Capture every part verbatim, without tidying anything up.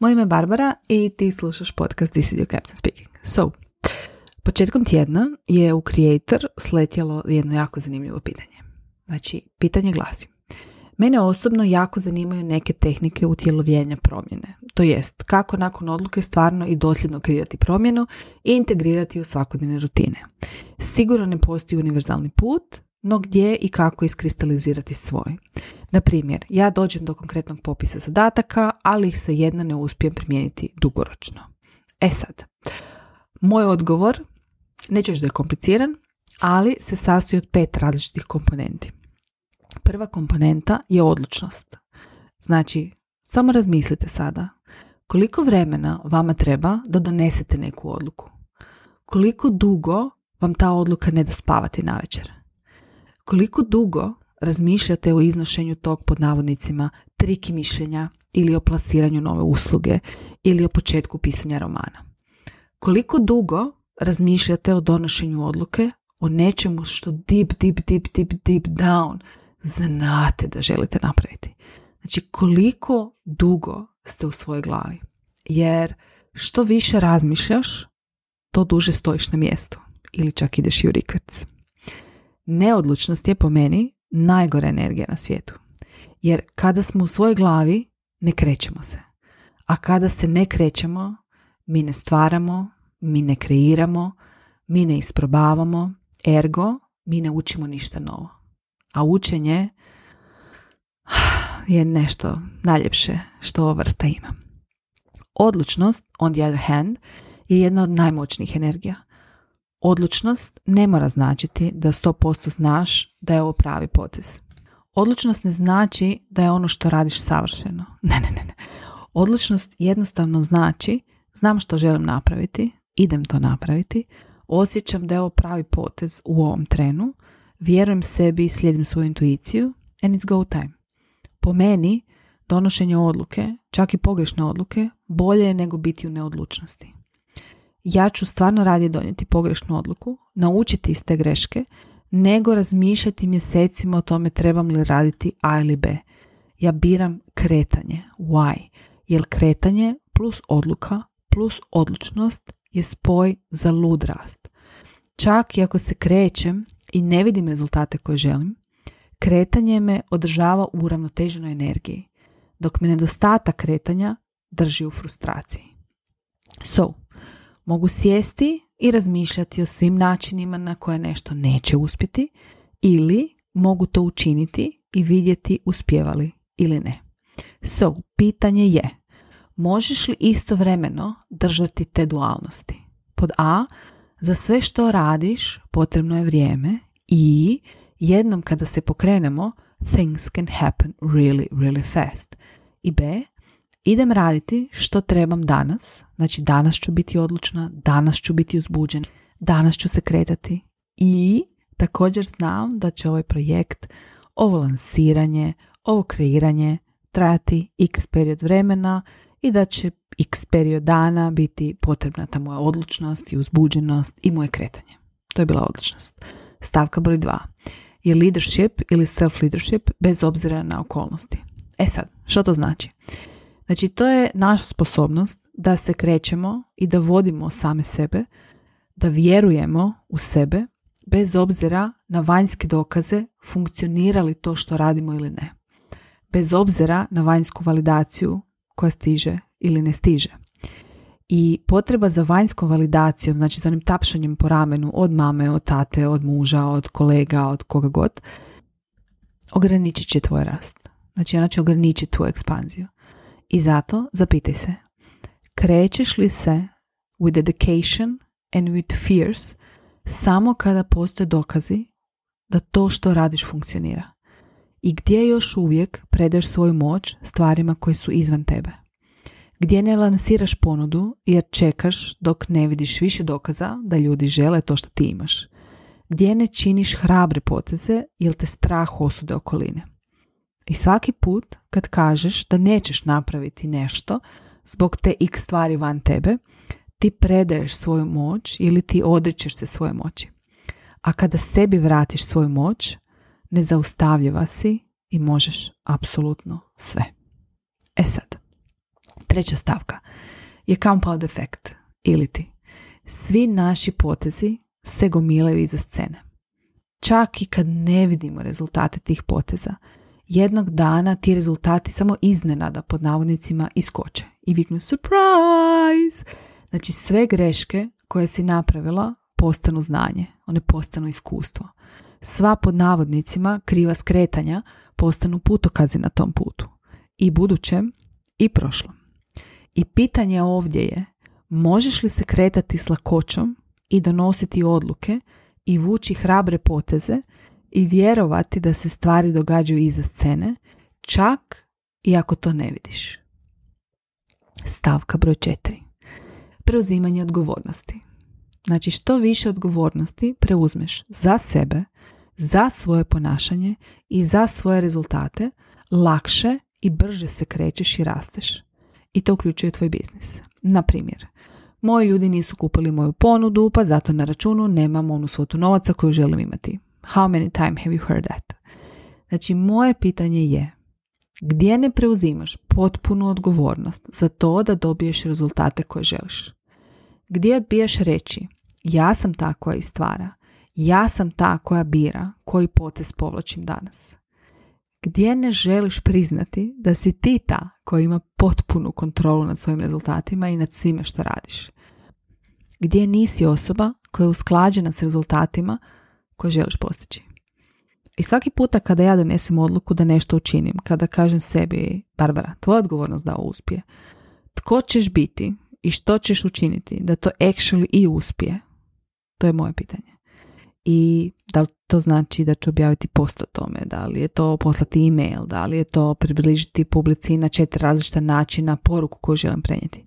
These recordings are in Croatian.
Moje ime je Barbara i ti slušaš podcast This is your Captain Speaking. So, početkom tjedna je u Creator sletjelo jedno jako zanimljivo pitanje. Znači, pitanje glasi: mene osobno jako zanimaju neke tehnike utjelovljenja promjene. To jest, kako nakon odluke stvarno i dosljedno kreirati promjenu i integrirati u svakodnevne rutine. Sigurno ne postoji univerzalni put, no gdje i kako iskristalizirati svoj. Na primjer, ja dođem do konkretnog popisa zadataka, ali ih se jedno ne uspijem primijeniti dugoročno. E sad, moj odgovor, neću reći da je kompliciran, ali se sastoji od pet različitih komponenti. Prva komponenta je odlučnost. Znači, samo razmislite sada koliko vremena vama treba da donesete neku odluku. Koliko dugo vam ta odluka ne da spavati navečer. Koliko dugo razmišljate o iznošenju tog, pod navodnicima, triki mišljenja ili o plasiranju nove usluge ili o početku pisanja romana. Koliko dugo razmišljate o donošenju odluke o nečemu što deep, deep, deep, deep, deep down znate da želite napraviti. Znači, koliko dugo ste u svojoj glavi. Jer što više razmišljaš, to duže stojiš na mjestu ili čak ideš i u rikverc. Neodlučnost je po meni najgora energija na svijetu. Jer kada smo u svojoj glavi, ne krećemo se. A kada se ne krećemo, mi ne stvaramo, mi ne kreiramo, mi ne isprobavamo, ergo, mi ne učimo ništa novo. A učenje je nešto najljepše što ova vrsta ima. Odlučnost, on the other hand, je jedna od najmoćnijih energija. Odlučnost ne mora značiti da sto posto znaš da je ovo pravi potez. Odlučnost ne znači da je ono što radiš savršeno. Ne, ne, ne. ne. Odlučnost jednostavno znači znam što želim napraviti, idem to napraviti, osjećam da je ovo pravi potez u ovom trenu, vjerujem sebi i slijedim svoju intuiciju and it's go time. Po meni, donošenje odluke, čak i pogrešne odluke, bolje je nego biti u neodlučnosti. Ja ću stvarno radije donijeti pogrešnu odluku, naučiti iz te greške, nego razmišljati mjesecima o tome trebam li raditi A ili B. Ja biram kretanje. Why? Jer kretanje plus odluka plus odlučnost je spoj za lud rast. Čak i ako se krećem i ne vidim rezultate koje želim, kretanje me održava u uravnoteženoj energiji, dok me nedostatak kretanja drži u frustraciji. So, mogu sjesti i razmišljati o svim načinima na koje nešto neće uspjeti ili mogu to učiniti i vidjeti uspijevali ili ne. So, pitanje je, možeš li istovremeno držati te dualnosti? Pod A, za sve što radiš potrebno je vrijeme i jednom kada se pokrenemo, things can happen really, really fast. I B, idem raditi što trebam danas, znači danas ću biti odlučna, danas ću biti uzbuđen, danas ću se kretati i također znam da će ovaj projekt, ovo lansiranje, ovo kreiranje trajati x period vremena i da će x period dana biti potrebna ta moja odlučnost i uzbuđenost i moje kretanje. To je bila odlučnost. Stavka broj dva je leadership ili self-leadership bez obzira na okolnosti. E sad, što to znači? Znači, to je naša sposobnost da se krećemo i da vodimo same sebe, da vjerujemo u sebe, bez obzira na vanjske dokaze funkcionira li to što radimo ili ne. Bez obzira na vanjsku validaciju koja stiže ili ne stiže. I potreba za vanjskom validacijom, znači za onim tapšanjem po ramenu od mame, od tate, od muža, od kolega, od koga god, ograničit će tvoj rast. Znači, ona će ograničiti tvoju ekspanziju. I zato zapitaj se, krećeš li se with dedication and with fears samo kada postoje dokazi da to što radiš funkcionira? I gdje još uvijek predaješ svoju moć stvarima koje su izvan tebe? Gdje ne lansiraš ponudu jer čekaš dok ne vidiš više dokaza da ljudi žele to što ti imaš? Gdje ne činiš hrabre poteze jer te strah osude okoline? I svaki put kad kažeš da nećeš napraviti nešto zbog te x stvari van tebe, ti predaješ svoju moć ili ti odričeš se svoje moći. A kada sebi vratiš svoju moć, nezaustavljiva si i možeš apsolutno sve. E sad, Treća stavka je compound effect, ili ti. Svi naši potezi se gomilaju iza scene. Čak i kad ne vidimo rezultate tih poteza, jednog dana ti rezultati samo iznenada pod navodnicima iskoče i viknu surprise. Znači sve greške koje si napravila postanu znanje, one postanu iskustvo. Sva pod navodnicima kriva skretanja postanu putokazi na tom putu. I budućem i prošlom. I pitanje ovdje je, možeš li se kretati s lakoćom i donositi odluke i vući hrabre poteze i vjerovati da se stvari događaju iza scene, čak i ako to ne vidiš. Stavka broj četiri. Preuzimanje odgovornosti. Znači što više odgovornosti preuzmeš za sebe, za svoje ponašanje i za svoje rezultate, lakše i brže se krećeš i rasteš. I to uključuje tvoj biznis. Na primjer, moji ljudi nisu kupili moju ponudu, pa zato na računu nemam onu svotu novaca koju želim imati. How many time have you heard that? Znači, moje pitanje je, gdje ne preuzimaš potpunu odgovornost za to da dobiješ rezultate koje želiš? Gdje odbijaš reći, ja sam ta koja istvara, ja sam ta koja bira koji potez povlačim danas? Gdje ne želiš priznati da si ti ta koja ima potpunu kontrolu nad svojim rezultatima i nad svime što radiš? Gdje nisi osoba koja je usklađena s rezultatima koje želiš postići? I svaki puta kada ja donesem odluku da nešto učinim, kada kažem sebi, Barbara, tvoja odgovornost da ovo uspije, tko ćeš biti i što ćeš učiniti da to actually i uspije? To je moje pitanje. I da li to znači da ću objaviti post o tome, da li je to poslati e-mail, da li je to približiti publici na četiri različita načina poruku koju želim prenijeti.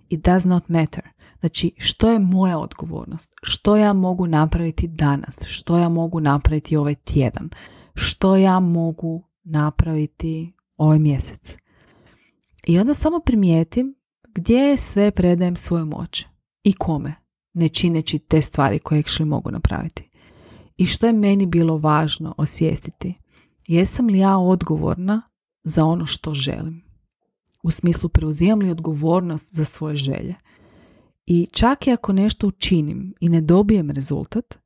It does not matter. Znači, što je moja odgovornost? Što ja mogu napraviti danas? Što ja mogu napraviti ovaj tjedan? Što ja mogu napraviti ovaj mjesec? I onda samo primijetim gdje sve predajem svoju moć i kome, ne čineći te stvari koje actually mogu napraviti. I što je meni bilo važno osvijestiti? Jesam li ja odgovorna za ono što želim? U smislu, preuzimam li odgovornost za svoje želje? I čak i ako nešto učinim i ne dobijem rezultat,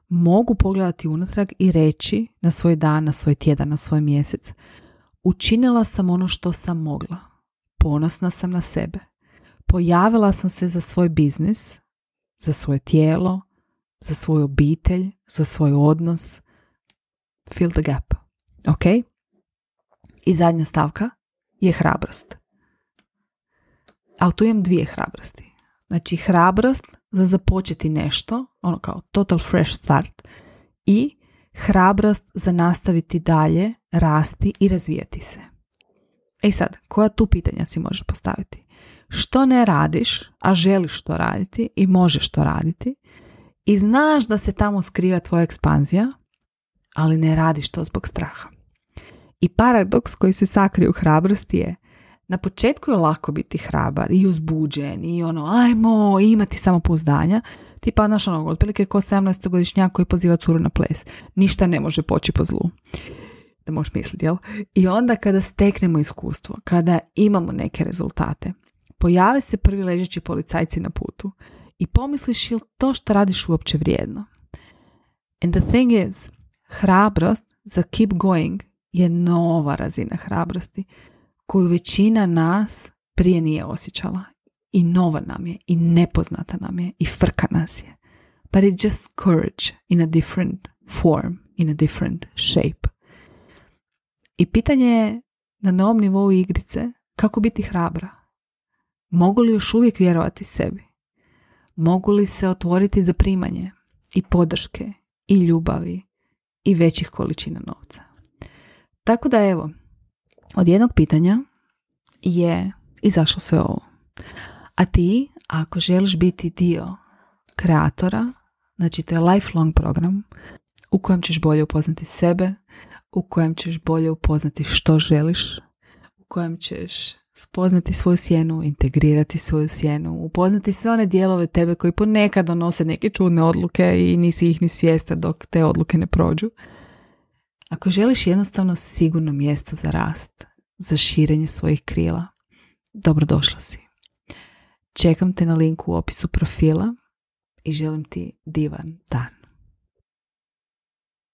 mogu pogledati unatrag i reći na svoj dan, na svoj tjedan, na svoj mjesec, učinila sam ono što sam mogla. Ponosna sam na sebe. Pojavila sam se za svoj biznis, za svoje tijelo, za svoju obitelj, za svoj odnos. Fill the gap. Ok? I zadnja stavka je hrabrost. Ali tu imam dvije hrabrosti. Znači, hrabrost za započeti nešto, ono kao total fresh start, i hrabrost za nastaviti dalje, rasti i razvijati se. E sad, koja tu pitanja si možeš postaviti? Što ne radiš, a želiš to raditi i možeš to raditi i znaš da se tamo skriva tvoja ekspanzija, ali ne radiš to zbog straha. I paradoks koji se sakrije u hrabrosti je, na početku je lako biti hrabar i uzbuđen i ono, ajmo imati samopouzdanja. Ti pa znaš ono, otprilike ko sedamnaestogodišnjak koji poziva curu na ples. Ništa ne može poći po zlu. Da možeš misliti, jel? I onda kada steknemo iskustvo, kada imamo neke rezultate, pojave se prvi ležeći policajci na putu i pomisliš, jel to što radiš uopće vrijedno? And the thing is, hrabrost za keep going je nova razina hrabrosti koju većina nas prije nije osjećala. I nova nam je, i nepoznata nam je, i frka nas je. But it's just courage in a different form, in a different shape. I pitanje je na novom nivou igrice kako biti hrabra. Mogu li još uvijek vjerovati sebi? Mogu li se otvoriti za primanje i podrške i ljubavi i većih količina novca? Tako da evo, od jednog pitanja je izašlo sve ovo. A ti, ako želiš biti dio kreatora, znači to je lifelong program u kojem ćeš bolje upoznati sebe, u kojem ćeš bolje upoznati što želiš, u kojem ćeš spoznati svoju sjenu, integrirati svoju sjenu, upoznati sve one dijelove tebe koji ponekad donose neke čudne odluke i nisi ih ni svjestan dok te odluke ne prođu. Ako želiš jednostavno sigurno mjesto za rast, za širenje svojih krila, dobrodošla si. Čekam te na linku u opisu profila i želim ti divan dan.